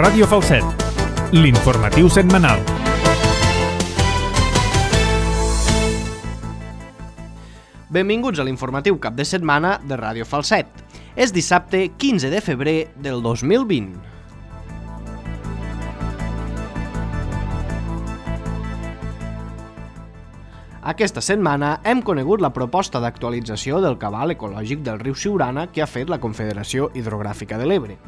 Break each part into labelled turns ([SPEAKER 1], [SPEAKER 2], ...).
[SPEAKER 1] Ràdio Falset, l'informatiu setmanal.
[SPEAKER 2] Benvinguts a l'informatiu cap de setmana de Ràdio Falset. És dissabte 15 de febrer del 2020. Aquesta setmana hem conegut la proposta d'actualització del cabal ecològic del riu Siurana que ha fet la Confederació Hidrogràfica de l'Ebre.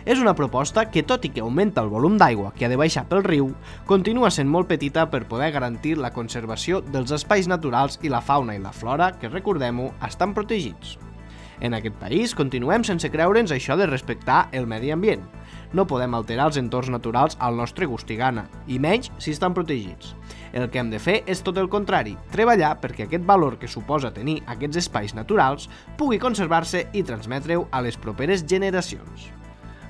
[SPEAKER 2] És una proposta que, tot i que augmenta el volum d'aigua que ha de baixar pel riu, continua sent molt petita per poder garantir la conservació dels espais naturals i la fauna i la flora que, recordem-ho, estan protegits. En aquest país continuem sense creure'ns això de respectar el medi ambient. No podem alterar els entorns naturals al nostre gust i gana, i menys si estan protegits. El que hem de fer és tot el contrari, treballar perquè aquest valor que suposa tenir aquests espais naturals pugui conservar-se i transmetre-ho a les properes generacions.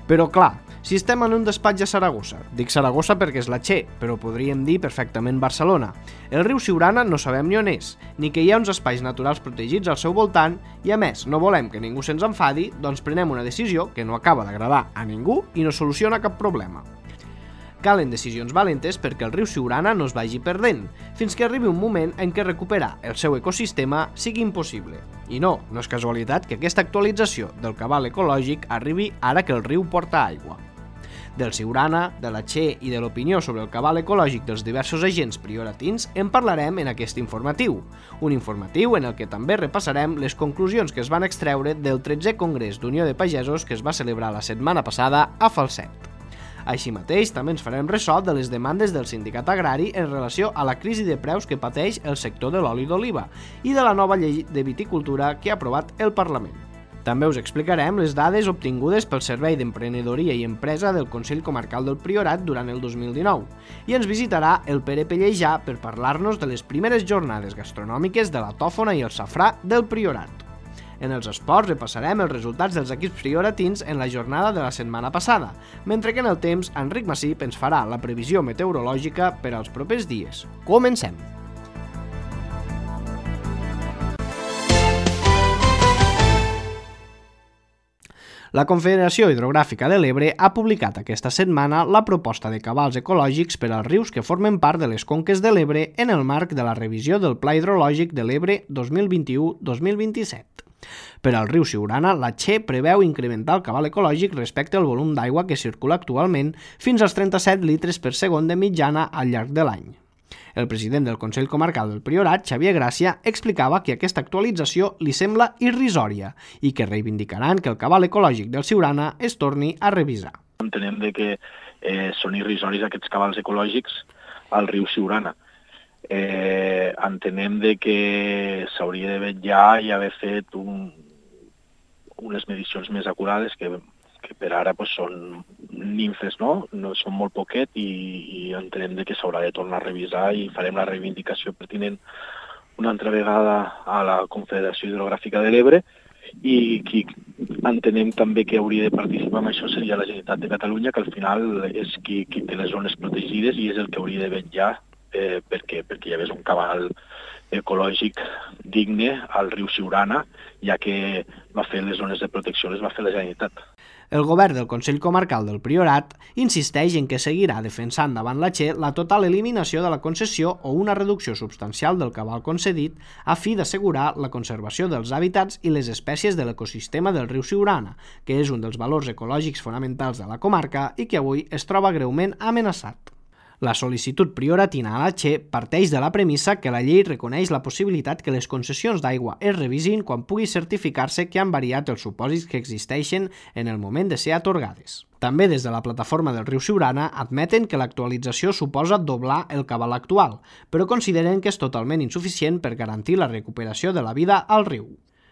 [SPEAKER 2] Però clar, si estem en un despatx a Saragossa, dic Saragossa perquè és la Che, però podríem dir perfectament Barcelona, el riu Siurana no sabem ni on és, ni que hi ha uns espais naturals protegits al seu voltant i a més no volem que ningú se'ns enfadi, doncs prenem una decisió que no acaba d'agradar a ningú i no soluciona cap problema. Calen decisions valentes perquè el riu Siurana no es vagi perdent, fins que arribi un moment en què recuperar el seu ecosistema sigui impossible. I no és casualitat que aquesta actualització del cabal ecològic arribi ara que el riu porta aigua. Del Siurana, de la Che i de l'opinió sobre el cabal ecològic dels diversos agents prioratins en parlarem en aquest informatiu. Un informatiu en el que també repassarem les conclusions que es van extreure del 13è Congrés d'Unió de Pagesos que es va celebrar la setmana passada a Falset. Així mateix, també ens farem ressò de les demandes del sindicat agrari en relació a la crisi de preus que pateix el sector de l'oli d'oliva i de la nova llei de viticultura que ha aprovat el Parlament. També us explicarem les dades obtingudes pel Servei d'Emprenedoria i Empresa del Consell Comarcal del Priorat durant el 2019 i ens visitarà el Pere Pellejà per parlar-nos de les primeres jornades gastronòmiques de la tòfona i el safrà del Priorat. En els esports repassarem els resultats dels equips prioratins en la jornada de la setmana passada, mentre que en el temps Enric Massip ens farà la previsió meteorològica per als propers dies. Comencem! La Confederació Hidrogràfica de l'Ebre ha publicat aquesta setmana la proposta de cabals ecològics per als rius que formen part de les conques de l'Ebre en el marc de la revisió del Pla Hidrològic de l'Ebre 2021-2027. Per al riu Siurana, la Che preveu incrementar el cabal ecològic respecte al volum d'aigua que circula actualment fins als 37 litres per segon de mitjana al llarg de l'any. El president del Consell Comarcal del Priorat, Xavier Gràcia, explicava que aquesta actualització li sembla irrisòria i que reivindicaran que el cabal ecològic del Siurana es torni a revisar.
[SPEAKER 3] Entenem que són irrisoris aquests cabals ecològics al riu Siurana. Entenem que s'hauria de vetllar i haver fet unes medicions més acurades que per ara són nimfes, no són molt poquet i entenem que s'haurà de tornar a revisar i farem la reivindicació pertinent una altra vegada a la Confederació Hidrogràfica de l'Ebre i qui entenem també que hauria de participar en això seria la Generalitat de Catalunya, que al final és qui té les zones protegides i és el que hauria de vetllar perquè hi hagués un cabal ecològic digne al riu Siurana, ja que va fer les zones de protecció, les va fer la Generalitat.
[SPEAKER 2] El govern del Consell Comarcal del Priorat insisteix en que seguirà defensant davant la Che la total eliminació de la concessió o una reducció substancial del cabal concedit a fi d'assegurar la conservació dels hàbitats i les espècies de l'ecosistema del riu Siurana, que és un dels valors ecològics fonamentals de la comarca i que avui es troba greument amenaçat. La sol·licitud prioratina a la Che parteix de la premissa que la llei reconeix la possibilitat que les concessions d'aigua es revisin quan pugui certificar-se que han variat els supòsits que existeixen en el moment de ser atorgades. També des de la plataforma del riu Siurana admeten que l'actualització suposa doblar el cabal actual, però consideren que és totalment insuficient per garantir la recuperació de la vida al riu.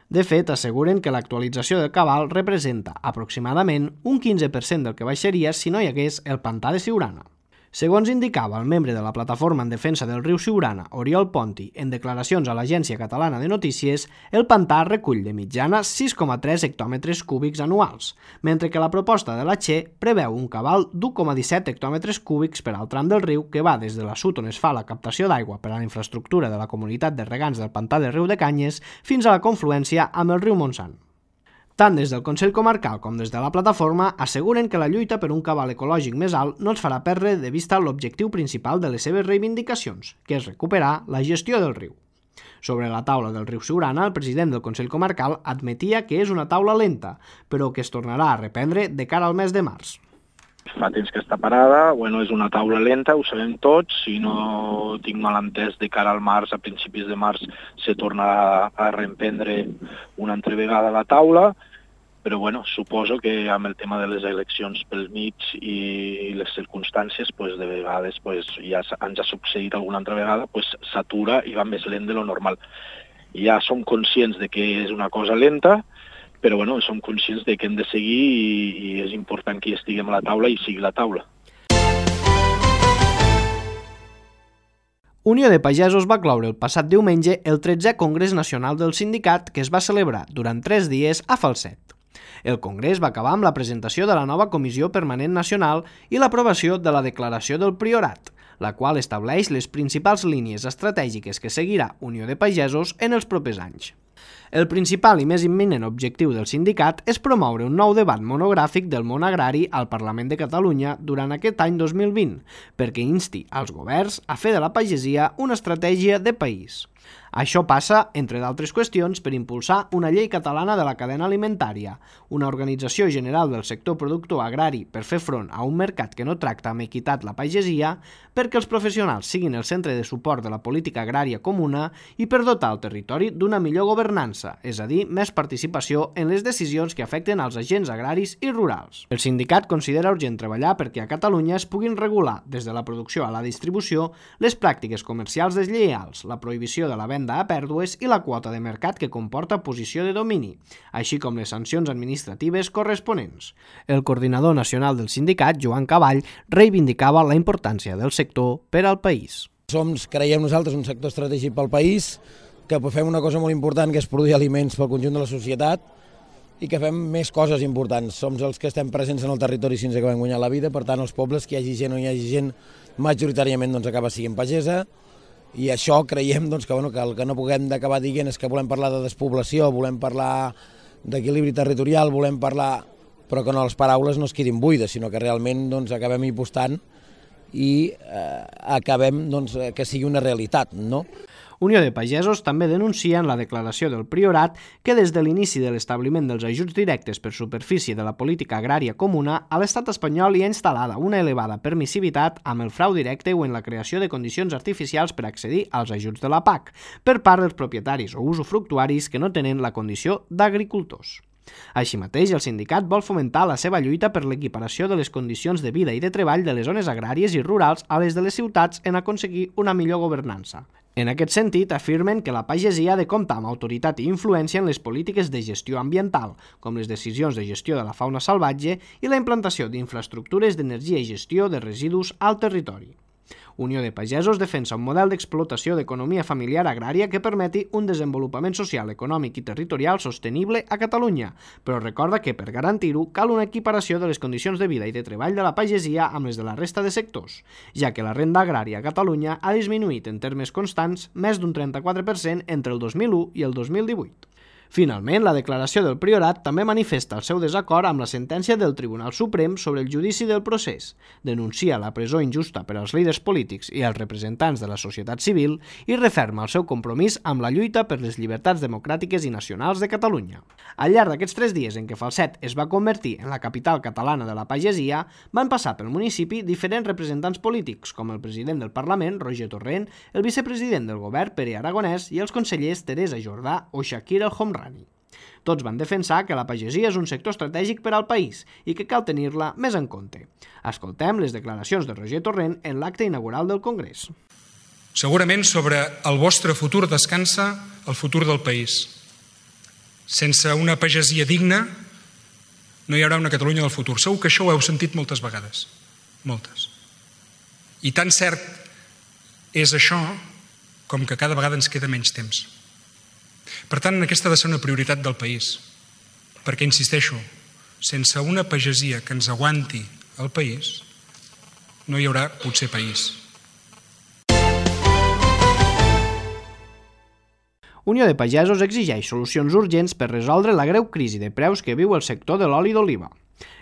[SPEAKER 2] De fet, asseguren que l'actualització del cabal representa aproximadament un 15% del que baixaria si no hi hagués el pantà de Siurana. Segons indicava el membre de la Plataforma en Defensa del Riu Siurana, Oriol Ponti, en declaracions a l'Agència Catalana de Notícies, el pantà recull de mitjana 6,3 hectòmetres cúbics anuals, mentre que la proposta de la Che preveu un cabal d'1,17 hectòmetres cúbics per al tram del riu que va des de l'assut on es fa la captació d'aigua per a la infraestructura de la comunitat de regants del pantà del riu de Canyes fins a la confluència amb el riu Montsant. Tant des del Consell Comarcal com des de la plataforma asseguren que la lluita per un cabal ecològic més alt no els farà perdre de vista l'objectiu principal de les seves reivindicacions, que és recuperar la gestió del riu. Sobre la taula del riu Siurana, el president del Consell Comarcal admetia que és una taula lenta, però que es tornarà a reprendre de cara al mes de març.
[SPEAKER 3] Fa temps que està parada, és una taula lenta, ho sabem tots, si no tinc mal entès de cara al març, a principis de març, se tornarà a reemprendre una altra vegada la taula, però suposo que amb el tema de les eleccions pel mig i les circumstàncies, de vegades ja ens ha succeït alguna altra vegada, s'atura i va més lent de lo normal. Ja som conscients de que és una cosa lenta, però som conscients de que hem de seguir i és important que hi estiguem a la taula i sigui la taula.
[SPEAKER 2] Unió de Pagesos va cloure el passat diumenge el 13è Congrés Nacional del Sindicat, que es va celebrar durant 3 dies a Falset. El congrés va acabar amb la presentació de la nova Comissió Permanent Nacional i l'aprovació de la Declaració del Priorat, la qual estableix les principals línies estratègiques que seguirà Unió de Pagesos en els propers anys. El principal i més imminent objectiu del sindicat és promoure un nou debat monogràfic del món agrari al Parlament de Catalunya durant aquest any 2020, perquè insti als governs a fer de la pagesia una estratègia de país. Això passa, entre d'altres qüestions, per impulsar una llei catalana de la cadena alimentària, una organització general del sector productor agrari per fer front a un mercat que no tracta amb equitat la pagesia, perquè els professionals siguin el centre de suport de la política agrària comuna i per dotar el territori d'una millor governança, és a dir, més participació en les decisions que afecten als agents agraris i rurals. El sindicat considera urgent treballar perquè a Catalunya es puguin regular, des de la producció a la distribució, les pràctiques comercials deslleials, la prohibició de la venda a pèrdues i la quota de mercat que comporta posició de domini, així com les sancions administratives corresponents. El coordinador nacional del sindicat, Joan Caball, reivindicava la importància del sector per al país.
[SPEAKER 4] Creiem nosaltres, un sector estratègic pel país, que fem una cosa molt important, que és produir aliments pel conjunt de la societat i que fem més coses importants. Som els que estem presents en el territori fins que vam guanyar la vida, per tant, els pobles, que hi hagi gent o no hi hagi gent, majoritàriament acaba sent pagesa. I això creiem que el que no puguem d'acabar dient és que volem parlar de despoblació, volem parlar d'equilibri territorial, volem parlar, però que les paraules no es quedin buides, sinó que realment acabem impostant i acabem que sigui una realitat, no?
[SPEAKER 2] Unió de Pagesos també denuncia en la declaració del Priorat que des de l'inici de l'establiment dels ajuts directes per superfície de la política agrària comuna, a l'estat espanyol hi ha instal·lada una elevada permissivitat amb el frau directe o en la creació de condicions artificials per accedir als ajuts de la PAC per part dels propietaris o usufructuaris que no tenen la condició d'agricultors. Així mateix, el sindicat vol fomentar la seva lluita per l'equiparació de les condicions de vida i de treball de les zones agràries i rurals a les de les ciutats en aconseguir una millor governança. En aquest sentit, afirmen que la pagesia ha de comptar amb autoritat i influència en les polítiques de gestió ambiental, com les decisions de gestió de la fauna salvatge i la implantació d'infraestructures d'energia i gestió de residus al territori. Unió de Pagesos defensa un model d'explotació d'economia familiar agrària que permeti un desenvolupament social, econòmic i territorial sostenible a Catalunya, però recorda que per garantir-ho cal una equiparació de les condicions de vida i de treball de la pagesia amb les de la resta de sectors, ja que la renda agrària a Catalunya ha disminuït en termes constants més d'un 34% entre el 2001 i el 2018. Finalment, la declaració del Priorat també manifesta el seu desacord amb la sentència del Tribunal Suprem sobre el judici del procés, denuncia la presó injusta per als líders polítics i els representants de la societat civil i referma el seu compromís amb la lluita per les llibertats democràtiques i nacionals de Catalunya. Al llarg d'aquests 3 dies en què Falset es va convertir en la capital catalana de la pagesia, van passar pel municipi diferents representants polítics, com el president del Parlament, Roger Torrent, el vicepresident del govern, Pere Aragonès, i els consellers Teresa Jordà o Shakir El Homrani. Tots van defensar que la pagesia és un sector estratègic per al país i que cal tenir-la més en compte. Escoltem les declaracions de Roger Torrent en l'acte inaugural del Congrés.
[SPEAKER 5] Segurament sobre el vostre futur descansa el futur del país. Sense una pagesia digna no hi haurà una Catalunya del futur. Segur que això ho heu sentit moltes vegades. Moltes. I tan cert és això com que cada vegada ens queda menys temps. Per tant, aquesta ha de ser una prioritat del país, perquè, insisteixo, sense una pagesia que ens aguanti el país, no hi haurà potser país.
[SPEAKER 2] Unió de Pagesos exigeix solucions urgents per resoldre la greu crisi de preus que viu el sector de l'oli d'oliva.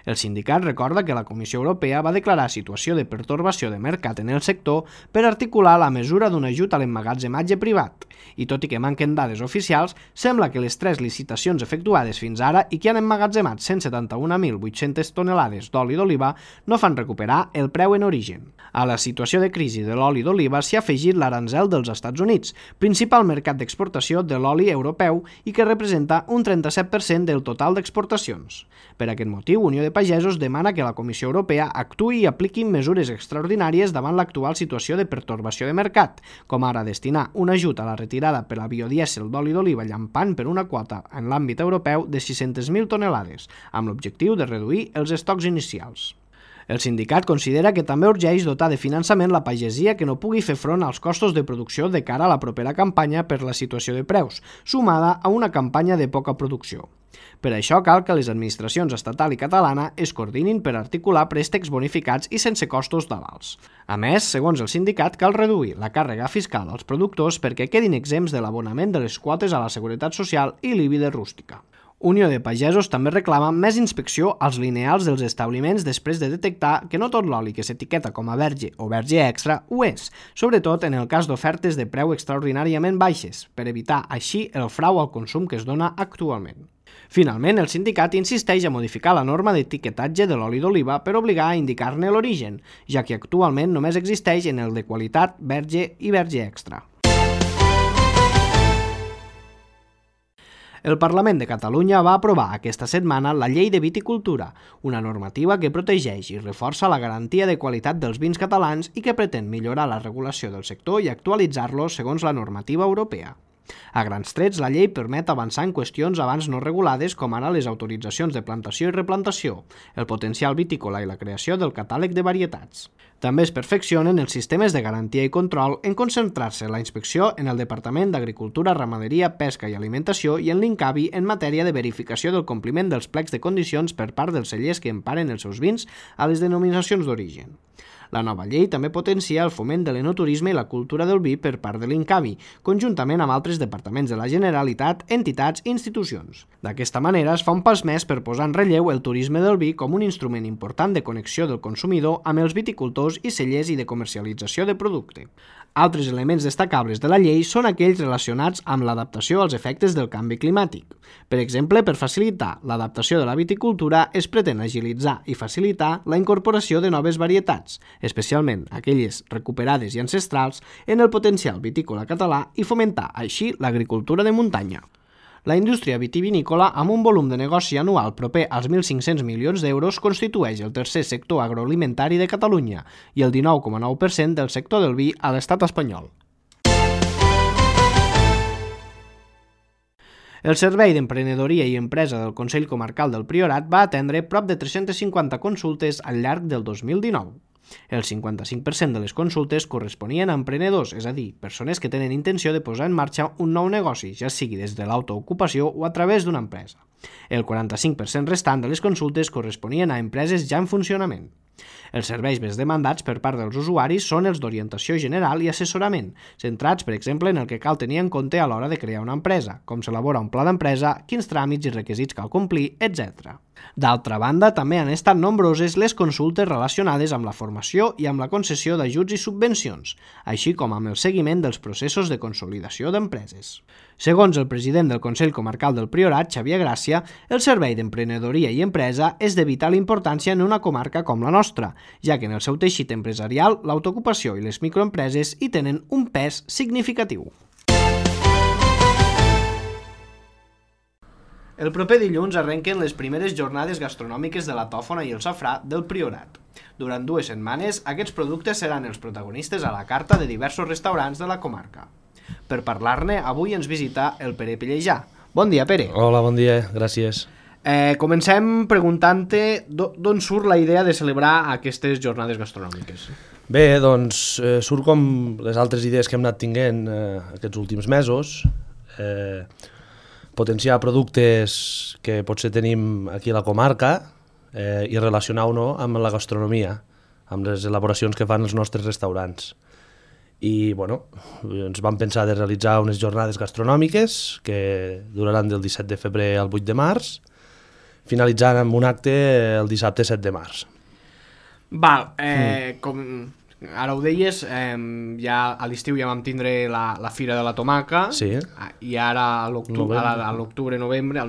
[SPEAKER 2] El sindicat recorda que la Comissió Europea va declarar situació de pertorbació de mercat en el sector per articular la mesura d'un ajut a l'emmagatzematge privat, i tot i que manquen dades oficials, sembla que les 3 licitacions efectuades fins ara i que han emmagatzemat 171.800 tonelades d'oli d'oliva no fan recuperar el preu en origen. A la situació de crisi de l'oli d'oliva s'hi ha afegit l'aranzel dels Estats Units, principal mercat d'exportació de l'oli europeu i que representa un 37% del total d'exportacions. Per aquest motiu, Unió de Pagesos demana que la Comissió Europea actuï i apliqui mesures extraordinàries davant l'actual situació de pertorbació de mercat, com ara destinar un ajut a la retirada per a biodièsel d'oli d'oliva llampant per una quota en l'àmbit europeu de 600.000 tonelades, amb l'objectiu de reduir els estocs inicials. El sindicat considera que també urgeix dotar de finançament la pagesia que no pugui fer front als costos de producció de cara a la propera campanya per la situació de preus, sumada a una campanya de poca producció. Per això cal que les administracions estatal i catalana es coordinin per articular préstecs bonificats i sense costos d'avals. A més, segons el sindicat, cal reduir la càrrega fiscal als productors perquè quedin exempts de l'abonament de les quotes a la Seguretat Social i l'IBI de rústica. Unió de Pagesos també reclama més inspecció als lineals dels establiments després de detectar que no tot l'oli que s'etiqueta com a verge o verge extra ho és, sobretot en el cas d'ofertes de preu extraordinàriament baixes, per evitar així el frau al consum que es dona actualment. Finalment, el sindicat insisteix a modificar la norma d'etiquetatge de l'oli d'oliva per obligar a indicar-ne l'origen, ja que actualment només existeix en el de qualitat verge i verge extra. El Parlament de Catalunya va aprovar aquesta setmana la Llei de Viticultura, una normativa que protegeix i reforça la garantia de qualitat dels vins catalans i que pretén millorar la regulació del sector i actualitzar-lo segons la normativa europea. A grans trets, la llei permet avançar en qüestions abans no regulades com ara les autoritzacions de plantació i replantació, el potencial vitícola i la creació del catàleg de varietats. També es perfeccionen els sistemes de garantia i control en concentrar-se la inspecció en el Departament d'Agricultura, Ramaderia, Pesca i Alimentació i en l'INCAVI en matèria de verificació del compliment dels plecs de condicions per part dels cellers que emparen els seus vins a les denominacions d'origen. La nova llei també potencia el foment de l'enoturisme i la cultura del vi per part de l'INCAVI, conjuntament amb altres departaments de la Generalitat, entitats i institucions. D'aquesta manera es fa un pas més per posar en relleu el turisme del vi com un instrument important de connexió del consumidor amb els viticultors i cellers i de comercialització de producte. Altres elements destacables de la llei són aquells relacionats amb l'adaptació als efectes del canvi climàtic. Per exemple, per facilitar l'adaptació de la viticultura es pretén agilitzar i facilitar la incorporació de noves varietats, especialment aquelles recuperades i ancestrals, en el potencial vitícola català i fomentar així l'agricultura de muntanya. La indústria vitivinícola, amb un volum de negoci anual proper als 1.500 milions d'euros, constitueix el tercer sector agroalimentari de Catalunya i el 19,9% del sector del vi a l'estat espanyol. El Servei d'Emprenedoria i Empresa del Consell Comarcal del Priorat va atendre prop de 350 consultes al llarg del 2019. El 55% de les consultes corresponien a emprenedors, és a dir, persones que tenen intenció de posar en marxa un nou negoci, ja sigui des de l'autoocupació o a través d'una empresa. El 45% restant de les consultes corresponien a empreses ja en funcionament. Els serveis més demandats per part dels usuaris són els d'orientació general i assessorament, centrats, per exemple, en el que cal tenir en compte a l'hora de crear una empresa, com s'elabora un pla d'empresa, quins tràmits i requisits cal complir, etc. D'altra banda, també han estat nombroses les consultes relacionades amb la formació i amb la concessió d'ajuts i subvencions, així com amb el seguiment dels processos de consolidació d'empreses. Segons el president del Consell Comarcal del Priorat, Xavier Gràcia, el Servei d'Emprenedoria i Empresa és de vital importància en una comarca com la nostra, ja que en el seu teixit empresarial, l'autoocupació i les microempreses hi tenen un pes significatiu. El proper dilluns arrenquen les primeres jornades gastronòmiques de la tòfona i el safrà del Priorat. Durant 2 setmanes, aquests productes seran els protagonistes a la carta de diversos restaurants de la comarca. Per parlar-ne, avui ens visita el Pere Pellejà. Bon dia, Pere.
[SPEAKER 6] Hola, bon dia, gràcies.
[SPEAKER 2] Comencem preguntant-te d'on surt la idea de celebrar aquestes jornades gastronòmiques.
[SPEAKER 6] Bé, doncs surt com les altres idees que hem anat tinguent aquests últims mesos, potenciar productes que potser tenim aquí a la comarca i relacionar-ho amb la gastronomia, amb les elaboracions que fan els nostres restaurants. i bueno, ens vam pensar de realitzar unes jornades gastronòmiques que duraran del 17 de febrer al 8 de març, finalitzant amb un acte el dissabte 7 de març.
[SPEAKER 2] Val, com ara ho deies, ja a l'estiu ja vam tindre la Fira de la Tomaca,
[SPEAKER 6] Sí.
[SPEAKER 2] I ara a l'octubre, novembre,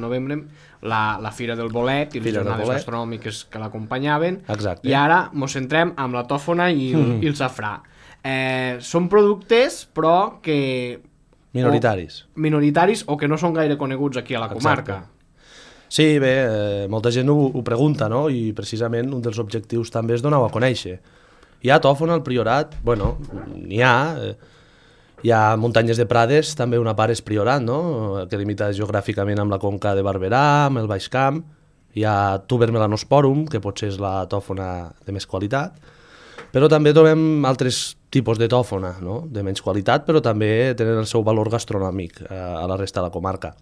[SPEAKER 2] la Fira del Bolet i les
[SPEAKER 6] Fira del
[SPEAKER 2] jornades
[SPEAKER 6] Bolet.
[SPEAKER 2] gastronòmiques que l'acompanyaven.
[SPEAKER 6] Exacte.
[SPEAKER 2] I ara mos centrem amb la tòfona i el safrà. Són productes, però que... Minoritaris o que no són gaire coneguts aquí a la comarca.
[SPEAKER 6] Exacte. Sí, bé, molta gent ho pregunta, no? I precisament un dels objectius també és donar-ho a conèixer. Hi ha tòfona al Priorat? Bueno, n'hi ha. Hi ha muntanyes de Prades, també una part és Priorat, no? Que limita geogràficament amb la conca de Barberà, amb el Baix Camp. Hi ha Tuber melanosporum, que potser és la tòfona de més qualitat. Però també trobem altres tipus de tòfona, no? De menys qualitat, però també tenen el seu valor gastronòmic a la resta de la comarca.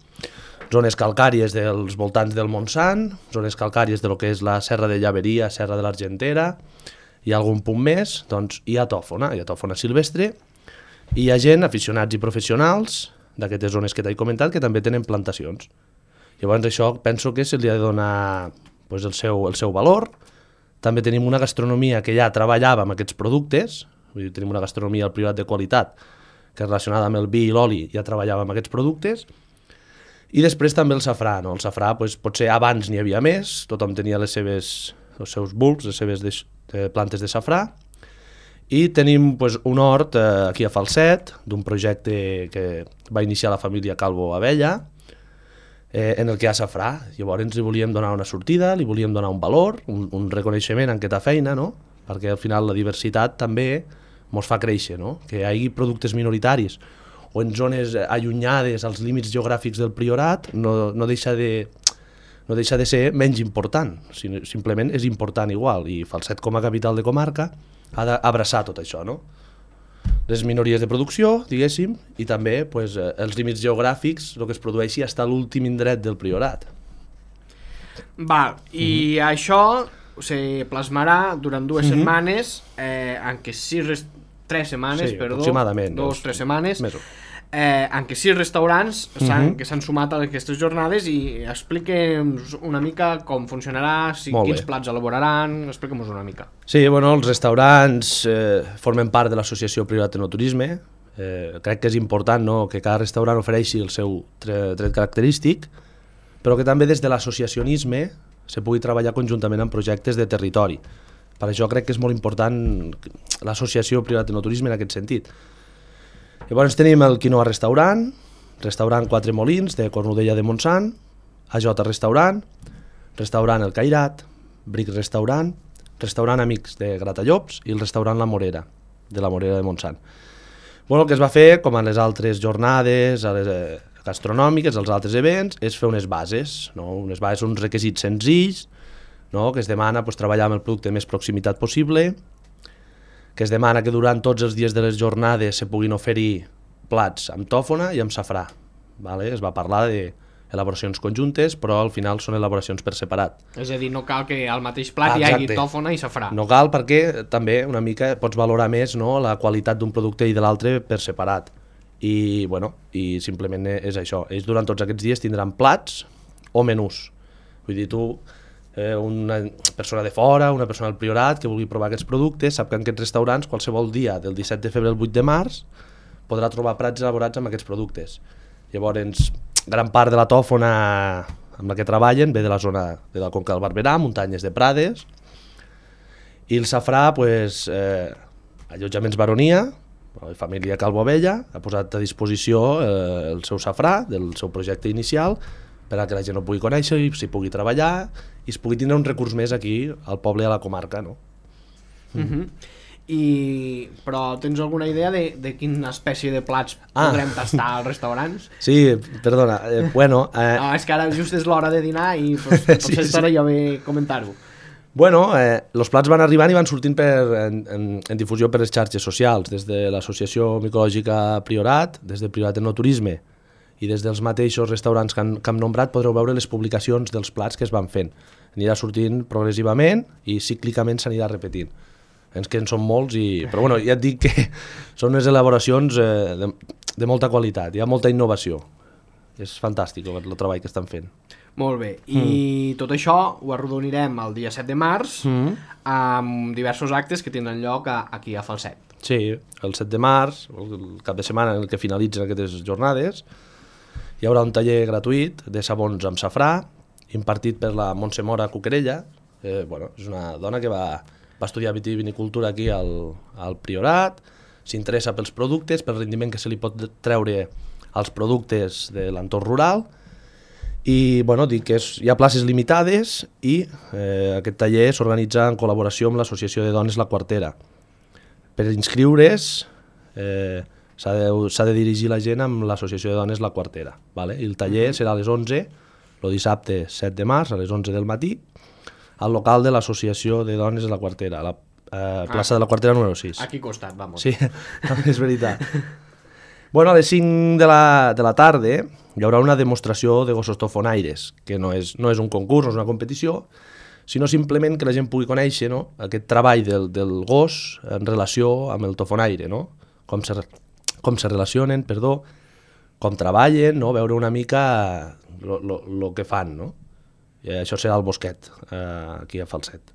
[SPEAKER 6] Zones calcàries dels voltants del Montsant, zones calcàries de lo que és la Serra de Llaveria, Serra de l'Argentera, hi ha algun punt més, doncs hi ha tòfona silvestre, i hi ha gent, aficionats i professionals d'aquestes zones que t'he comentat, que també tenen plantacions. Llavors això penso que se li ha de donar pues, el seu valor. També tenim una gastronomia que ja treballava amb aquests productes, vull dir, tenim una gastronomia al Priorat de qualitat, que relacionada amb el vi i l'oli ja treballava amb aquests productes. I després també el safrà, no? El safrà pues, potser abans n'hi havia més, tothom tenia els seus bulbs, les seves plantes de safrà, i tenim pues, un hort aquí a Falset, d'un projecte que va iniciar la família Calvo Abella, en el que hi ha safrà. Llavors li volíem donar una sortida, li volíem donar un valor, un reconeixement en aquesta feina, no? Perquè al final la diversitat també ens fa créixer, no? Que hi hagi productes minoritaris o en zones allunyades als límits geogràfics del Priorat no deixa de ser menys important, simplement és important igual, i Falset com a capital de comarca ha d'abraçar tot això, no? Les minories de producció, diguéssim, i també pues, els límits geogràfics, el que es produeixi fins a l'últim indret del Priorat.
[SPEAKER 2] Val, i això se plasmarà durant 2 setmanes, en què 3 setmanes,
[SPEAKER 6] Sí, aproximadament.
[SPEAKER 2] 2-3 setmanes,
[SPEAKER 6] Més o
[SPEAKER 2] en què 6 restaurants que s'han sumat a aquestes jornades, i expliquem-nos una mica com funcionarà, quins plats elaboraran, expliquem-nos una mica.
[SPEAKER 6] Sí, bueno, els restaurants formen part de l'associació Priorat Enoturisme. Crec que és important, no?, que cada restaurant ofereixi el seu tret característic, però que també des de l'associacionisme se pugui treballar conjuntament en projectes de territori. Per això crec que és molt important l'associació Priorat Enoturisme en aquest sentit. Llavors tenim el Quinoa Restaurant, Restaurant Quatre Molins de Cornudella de Montsant, AJ Restaurant, Restaurant El Cairat, Bric Restaurant, Restaurant Amics de Gratallops i el Restaurant La Morera, de la Morera de Montsant. Bueno, el que es va fer, com a les altres jornades, a les gastronòmiques, als altres events, és fer unes bases, no? Unes bases, uns requisits senzills, no? Que es demana pues, treballar amb el producte més proximitat possible, que es demana que durant tots els dies de les jornades se puguin oferir plats amb tòfona i amb safrà. Vale? Es va parlar d'elaboracions conjuntes, però al final són elaboracions per separat.
[SPEAKER 2] És a dir, no cal que al mateix plat hi hagi tòfona i safrà.
[SPEAKER 6] No cal, perquè també una mica pots valorar més, no?, la qualitat d'un producte i de l'altre per separat. I, bueno, i simplement és això. Ells durant tots aquests dies tindran plats o menús. Vull dir, tu... una persona de fora, una persona del Priorat que vulgui provar aquests productes, sap que en aquests restaurants qualsevol dia del 17 de febrer al 8 de març podrà trobar plats elaborats amb aquests productes. Llavors, gran part de la tòfona amb la que treballen ve de la zona de la conca del Barberà, muntanyes de Prades, i el safrà, pues, allotjaments Baronia, la família Calvo Abella ha posat a disposició el seu safrà del seu projecte inicial per a que la gent ho pugui conèixer i s'hi pugui treballar i es pugui tindre un recurs més aquí al poble i a la comarca, no?
[SPEAKER 2] Però tens alguna idea de quina espècie de plats podrem tastar als restaurants?
[SPEAKER 6] Sí, perdona, bueno...
[SPEAKER 2] No, és que ara just és l'hora de dinar i potser estaria bé comentar-ho.
[SPEAKER 6] Bueno, els plats van arribant i van sortint en difusió per les xarxes socials, des de l'Associació Micològica Priorat, des de Priorat Enoturisme, i des dels mateixos restaurants que hem nombrat podreu veure les publicacions dels plats que es van fent. Anirà sortint progressivament i cíclicament s'anirà repetint. que en són molts, però bueno, ja et dic que són unes elaboracions de molta qualitat, hi ha molta innovació. És fantàstic el treball que estan fent.
[SPEAKER 2] Molt bé, i tot això ho arrodonirem el dia 7 de març amb diversos actes que tindran lloc aquí a Falset.
[SPEAKER 6] Sí, el 7 de març, el cap de setmana en què finalitzen aquestes jornades, hi haurà un taller gratuït de sabons amb safrà, impartit per la Montse Mora Cuquerella. Bueno, és una dona que va estudiar vitivinicultura aquí al Priorat, s'interessa pels productes, pel rendiment que se li pot treure als productes de l'entorn rural, i bueno, dic que hi ha places limitades i aquest taller s'organitza en col·laboració amb l'Associació de Dones La Quartera. Per inscriure's s'ha de dirigir la gent amb l'Associació de Dones La Quartera, vale? I el taller serà a les 11, el dissabte 7 de març, a les 11 del matí, al local de l'Associació de Dones de La Quartera, a la plaça de la Quartera número 6.
[SPEAKER 2] Aquí costat, vamos.
[SPEAKER 6] Sí, és veritat. Bueno, a les 5 de la tarda hi haurà una demostració de gossos tofonaires, que no és un concurs, no és una competició, sinó simplement que la gent pugui conèixer, no?, aquest treball del gos en relació amb el tofonaire, no? Com se relacionen, com treballen, no? Veure una mica el que fan, no? I això serà al Bosquet, aquí a Falset.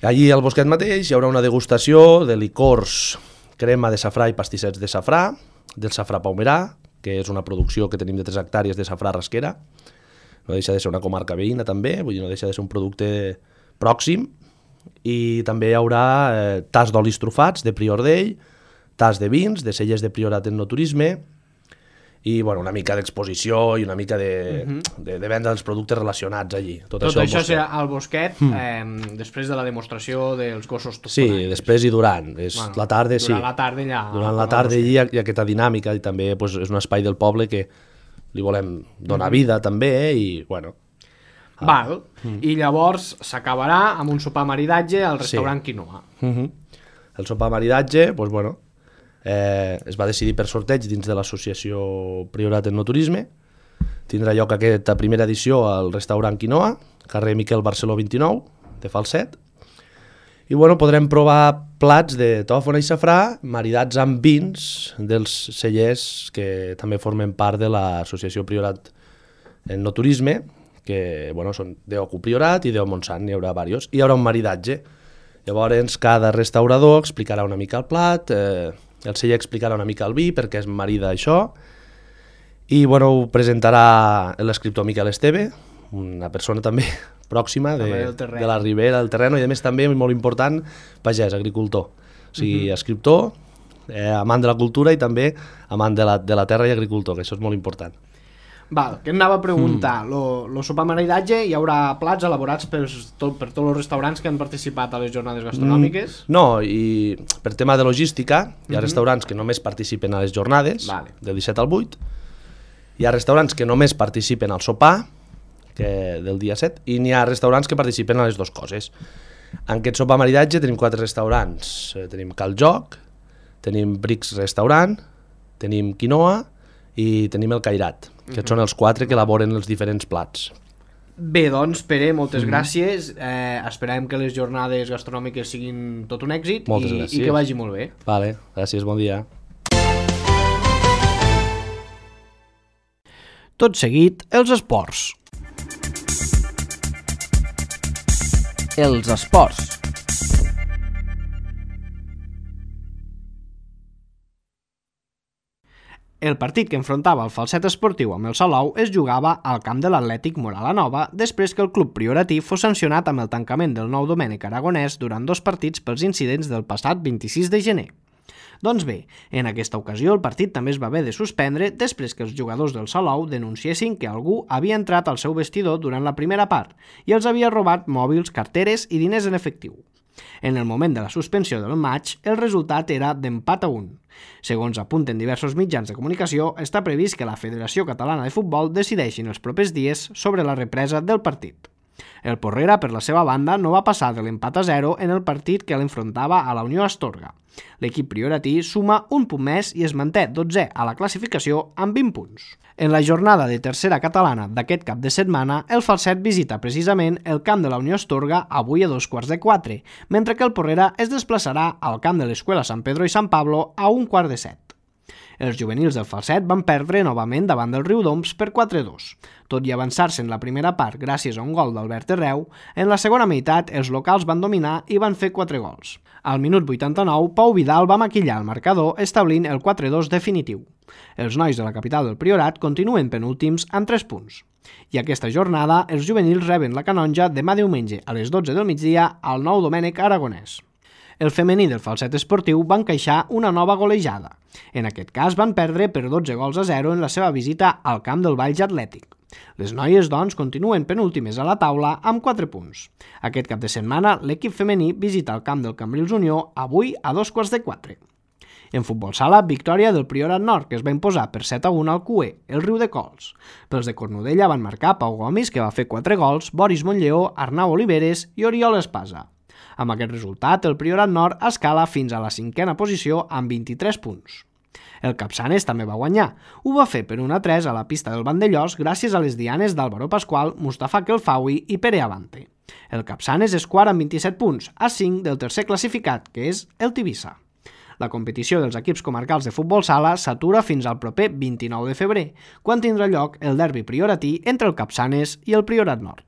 [SPEAKER 6] Allí al Bosquet mateix hi haurà una degustació de licors, crema de safrà i pastissets de safrà, del safrà paumerà, que és una producció que tenim de 3 hectàrees de safrà rasquera. No deixa de ser una comarca veïna també, vull dir, no deixa de ser un producte pròxim. I també hi haurà tas d'olis trufats de Prior d'Ell, tas de vins, de cellers de Priorat en no turisme, i bueno, una mica d'exposició i una mica de venda dels productes relacionats allí. Tot
[SPEAKER 2] això serà al Bosquet després de la demostració dels gossos tofonaires.
[SPEAKER 6] Sí, després i durant. La tarda, sí.
[SPEAKER 2] Durant la tarda allà.
[SPEAKER 6] Durant la tarda allí hi ha aquesta dinàmica i també és un espai del poble que li volem donar vida també i bueno.
[SPEAKER 2] Val, i llavors s'acabarà amb un sopar maridatge al restaurant Quinoa.
[SPEAKER 6] El sopar maridatge, doncs bueno, es va decidir per sorteig dins de l'associació Priorat en no turisme. Tindrà lloc aquesta primera edició al restaurant Quinoa, carrer Miquel Barceló 29, de Falset. I bueno, podrem provar plats de tòfona i safrà maridats amb vins dels cellers que també formen part de l'associació Priorat en no turisme, que bueno, són d'Ocu Priorat i d'O Montsant, n'hi haurà diversos. I hi haurà un maridatge. Llavors cada restaurador explicarà una mica el plat, el celler explicarà una mica el vi, perquè es marida això, i bueno, ho presentarà l'escriptor Miquel Esteve, una persona també pròxima de la Ribera, del terreno, i a més també, molt important, pagès, agricultor. O sigui, escriptor, amant de la cultura i també amant de la terra i agricultor, que això és molt important.
[SPEAKER 2] Val, que anava a preguntar, el sopar maridatge hi haurà plats elaborats per tots els restaurants que han participat a les jornades gastronòmiques?
[SPEAKER 6] No, i per tema de logística, hi ha restaurants que només participen a les jornades, del 17 al 8, hi ha restaurants que només participen al sopar, del dia 7, i n'hi ha restaurants que participen a les dues coses. En aquest sopar maridatge tenim 4 restaurants, tenim Cal Joc, tenim Brix Restaurant, tenim Quinoa i tenim el Cairat. Aquests són els 4 que elaboren els diferents plats.
[SPEAKER 2] Bé, doncs, Pere, moltes gràcies. Esperem que les jornades gastronòmiques siguin tot un èxit i que vagi molt bé.
[SPEAKER 6] Vale, gràcies, bon dia.
[SPEAKER 2] Tot seguit, els esports.
[SPEAKER 7] Els esports.
[SPEAKER 2] El partit que enfrontava el Falset Esportiu amb el Salou es jugava al camp de l'Atlètic Moral Nova després que el club prioratí fos sancionat amb el tancament del nou Domènec Aragonès durant 2 partits pels incidents del passat 26 de gener. Doncs bé, en aquesta ocasió el partit també es va haver de suspendre després que els jugadors del Salou denunciessin que algú havia entrat al seu vestidor durant la primera part i els havia robat mòbils, carteres i diners en efectiu. En el moment de la suspensió del matx, el resultat era d'empat a 1. Segons apunten diversos mitjans de comunicació, està previst que la Federació Catalana de Futbol decideixi en els propers dies sobre la represa del partit. El Porrera, per la seva banda, no va passar de l'empat a 0 en el partit que l'enfrontava a la Unió Astorga. L'equip prioratí suma un punt més i es manté 12è a la classificació amb 20 punts. En la jornada de tercera catalana d'aquest cap de setmana, el Falset visita precisament el camp de la Unió Astorga avui a 2:45, mentre que el Porrera es desplaçarà al camp de l'Escuela San Pedro i San Pablo a 1:45. Els juvenils del Falset van perdre novament davant del Riudoms per 4-2. Tot i avançar-se en la primera part gràcies a un gol d'Albert Herreu, en la segona meitat els locals van dominar i van fer 4 gols. Al minut 89, Pau Vidal va maquillar el marcador establint el 4-2 definitiu. Els nois de la capital del Priorat continuen penúltims amb 3 punts. I aquesta jornada els juvenils reben la canonja demà diumenge a les 12 del migdia al Nou Domènec Aragonès. El femení del Falset Esportiu va encaixar una nova golejada. En aquest cas van perdre per 12-0 en la seva visita al camp del Valls Atlètic. Les noies, doncs, continuen penúltimes a la taula amb 4 punts. Aquest cap de setmana, l'equip femení visita el camp del Cambrils Unió avui a 3:45. En futbol sala, victòria del Priorat Nord, que es va imposar per 7-1 al CUE, el Riu de Cols. Pels de Cornudella van marcar Pau Gomis, que va fer 4 gols, Boris Montlleo, Arnau Oliveres i Oriol Espasa. Amb aquest resultat, el Priorat Nord escala fins a la 5a posició amb 23 punts. El Capçanes també va guanyar. Ho va fer per 1-3 a la pista del Vandellós gràcies a les dianes d'Álvaro Pascual, Mustafa Kelfawi i Pere Avante. El Capçanes és quart amb 27 punts, a 5 del tercer classificat, que és el Tivissa. La competició dels equips comarcals de futbol sala s'atura fins al proper 29 de febrer, quan tindrà lloc el derbi prioratí entre el Capçanes i el Priorat Nord.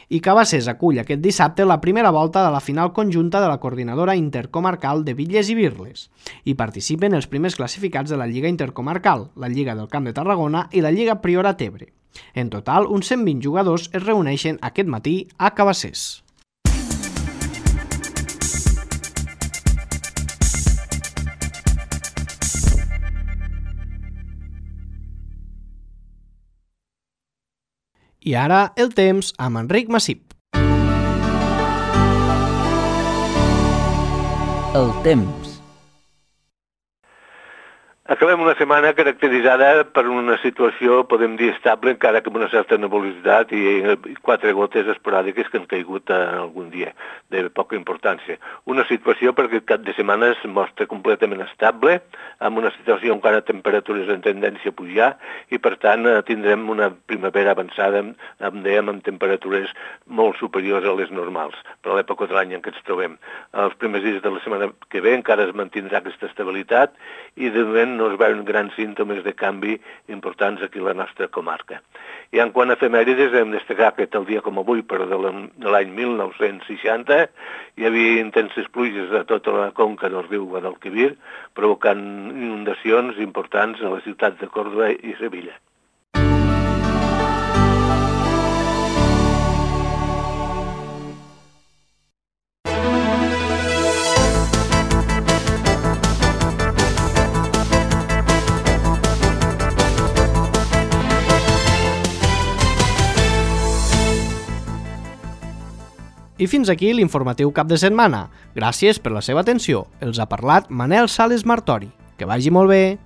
[SPEAKER 2] I Cabassers acull aquest dissabte la primera volta de la final conjunta de la Coordinadora Intercomarcal de Bitlles i Birles. Hi participen els primers classificats de la Lliga Intercomarcal, la Lliga del Camp de Tarragona i la Lliga Priorat Ebre. En total, uns 120 jugadors es reuneixen aquest matí a Cabassers. I ara el temps amb Enric Massip.
[SPEAKER 7] El temps.
[SPEAKER 8] Acabem una setmana caracteritzada per una situació, podem dir, estable, encara que amb una certa nebulositat i 4 gotes esporàdiques que han caigut algun dia, de poca importància. Una situació perquè aquest cap de setmana es mostra completament estable, amb una situació encara temperatures en tendència a pujar, i per tant tindrem una primavera avançada, dèiem, amb temperatures molt superiors a les normals, per l'època de l'any en què ens trobem. Els primers dies de la setmana que ve encara es mantindrà aquesta estabilitat i de moment no es veuen grans símptomes de canvi importants aquí a la nostra comarca. I en quant a efemèrides, hem destacat que tal dia com avui, però de l'any 1960, hi havia intenses pluges a tota la conca del riu Guadalquivir, provocant inundacions importants a les ciutats de Còrdova i Sevilla.
[SPEAKER 2] I fins aquí l'informatiu cap de setmana. Gràcies per la seva atenció. Els ha parlat Manel Sales Martori. Que vagi molt bé!